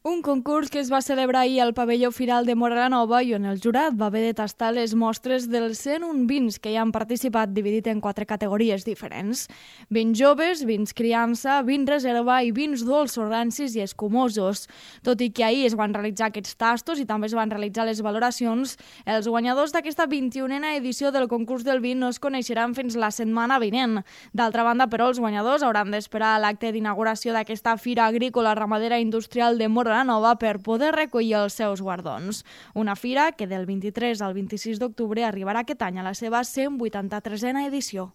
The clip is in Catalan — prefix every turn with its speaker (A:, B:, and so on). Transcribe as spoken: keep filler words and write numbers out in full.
A: Un concurs que es va celebrar ahir al pavelló Firal de Móra la Nova i on el jurat va haver de tastar les mostres dels cent un vins que hi han participat, dividit en quatre categories diferents. Vins joves, vins criança, vins reserva i vins dolços, rancis i escumosos. Tot i que ahir es van realitzar aquests tastos i també es van realitzar les valoracions, els guanyadors d'aquesta vint-i-unena edició del concurs del vin no es coneixeran fins la setmana vinent. D'altra banda, però, els guanyadors hauran d'esperar a l'acte d'inauguració d'aquesta Fira Agrícola Ramadera Industrial de Móra la Nova per poder recollir els seus guardons. Una fira que del vint-i-tres al vint-i-sis d'octubre arribarà aquest any a la seva cent vuitanta-tresena edició.